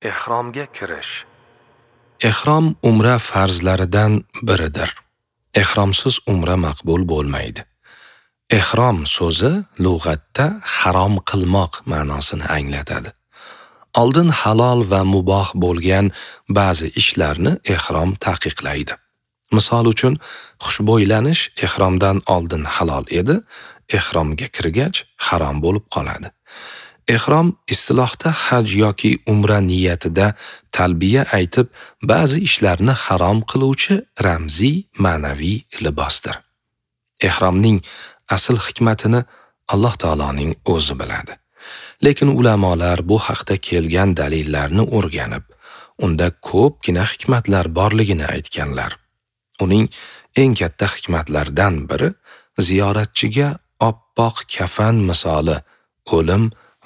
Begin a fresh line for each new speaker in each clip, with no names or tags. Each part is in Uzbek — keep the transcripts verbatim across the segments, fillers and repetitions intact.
Ehromga kirish. Ehrom umra farzlaridan biridir. Ehromsiz umra maqbul bo'lmaydi. Ehrom so'zi lug'atda harom qilmoq ma'nosini anglatadi. Oldin halol va muboh bo'lgan ba'zi ishlarni ehrom taqiqlaydi. Misol uchun, xushbo'ylanish ehromdan oldin halol edi, ehromga kirgach harom bo'lib qoladi. Ehrom istilohda haj yoki umra niyatida talbiya aytib, ba'zi ishlarni harom qiluvchi ramziy ma'naviy libosdir. Ehromning asl hikmatini Alloh taoloning o'zi biladi. Lekin ulamolar bu haqda kelgan dalillarni o'rganib, unda ko'pgina hikmatlar borligini aytganlar. Uning eng katta hikmatlaridan biri ziyoratchiga oppoq kafan misoli o'lim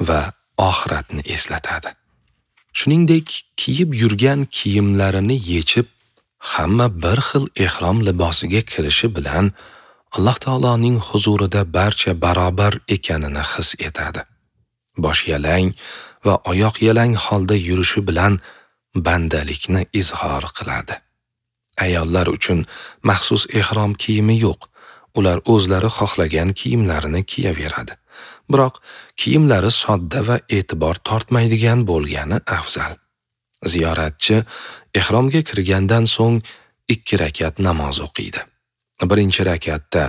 va oxiratni eslatadi. Shuningdek, kiyib yurgan kiyimlarini yechib, hamma bir xil ehrom libosiga kirishi bilan Alloh taoloning huzurida barcha barobar ekanini his etadi. Bosh yalang va oyoq yalang holda yurishi bilan bandalikni izhor qiladi. Ayollar uchun maxsus ehrom kiyimi yo'q. Ular o'zlari xohlagan kiyimlarini kiyaveradi. Biroq kiyimlari sodda va e'tibor tortmaydigan bo'lgani afzal. Ziyoratchi ehromga kirgandan so'ng ikki rakat namoz o'qiydi. Birinchi rakatda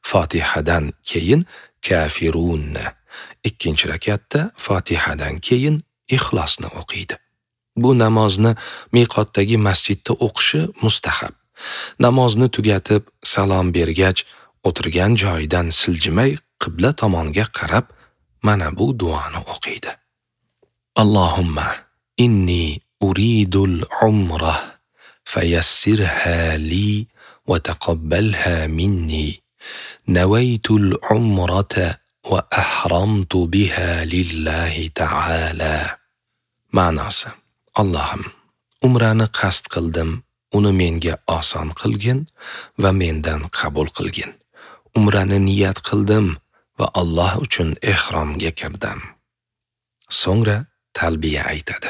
Fotihadan keyin Kafirunni, ikkinchi rakatda Fotihadan keyin Ixlosni o'qiydi. Bu namozni miqotdagi masjidda o'qishi mustahab. Namozni tugatib salom bergach, o'tirgan joyidan siljimay qibla tomonga qarab mana bu duoni o'qiydi. Allohumma inni uridul umrah fayassirha li va taqabbalha minni. Nawaytul umrata va ahramtu biha lillahi ta'ala. Ma'nosi: Allohim, umrani qasd qildim, uni menga oson qilgin va mendan qabul qilgin. Umrani niyat qildim va Alloh uchun ehromga kirdim. So'ngra talbiya aytadi.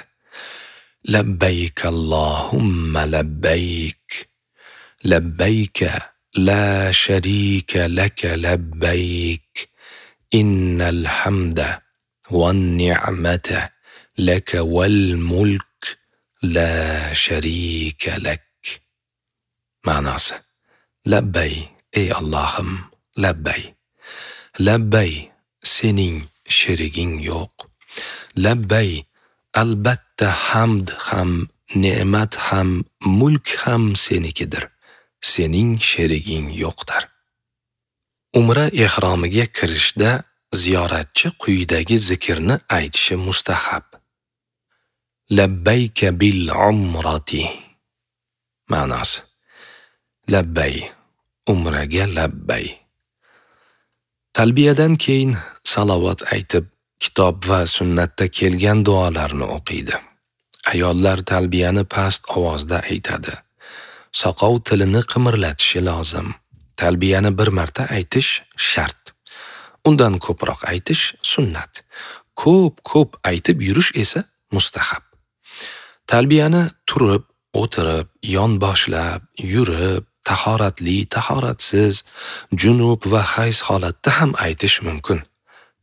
Labbayk Allohumma labbayk. Labbayk la sharika laka labbayk. Innal hamda wan ni'mata laka wal mulk la sharika lak. Ma'nosi: Labbay, ey Allohim, labbay. Labbay, sening sheriging yo'q. Labbay, albatta hamd ham, ne'mat ham, mulk ham senikidir. Sening sheriging yo'qdir. Umra ehromiga kirishda ziyoratchi quyidagi zikrni aytishi mustahab. Labbayka bil umrati. Ma'nosi: Labbay, umraga labbay. Talbiyadan keyin salovat aytib, kitob va sunnatda kelgan duolarni o'qiydi. Ayollar talbiyani past ovozda aytadi. Soqov tilini qimirlatishi lozim. Talbiyani bir marta aytish shart. Undan ko'proq aytish sunnat. Ko'p-ko'p aytib yurish esa mustahab. Talbiyani turib, o'tirib, yon boshlab, yurib, tahoratli, tahoratsiz, junub va hayz holatda ham aytish mumkin.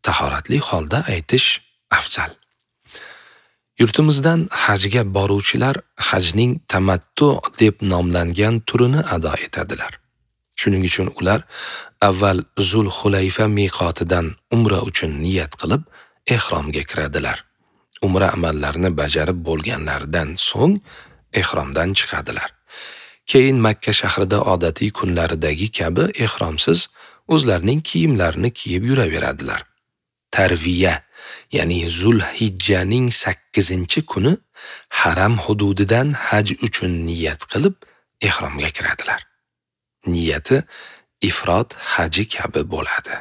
Tahoratli holda aytish afzal. Yurtimizdan hajga boruvchilar hajning tamattu deb nomlangan turini ado etadilar. Shuning uchun ular avval Zul-Hulayfa miqotidan umra uchun niyat qilib ehromga kiradilar. Umra amallarini bajarib bo'lganlaridan so'ng ehromdan chiqadilar. Keyin Makka shahrida odatiy kunlaridagi kabi ehromsiz o'zlarining kiyimlarini kiyib yuraveradilar. Tarviya, ya'ni Zulhijjaning sakkizinchi kuni haram hududidan haj uchun niyat qilib ehromga kiradilar. Niyati ifrod haji kabi bo'ladi.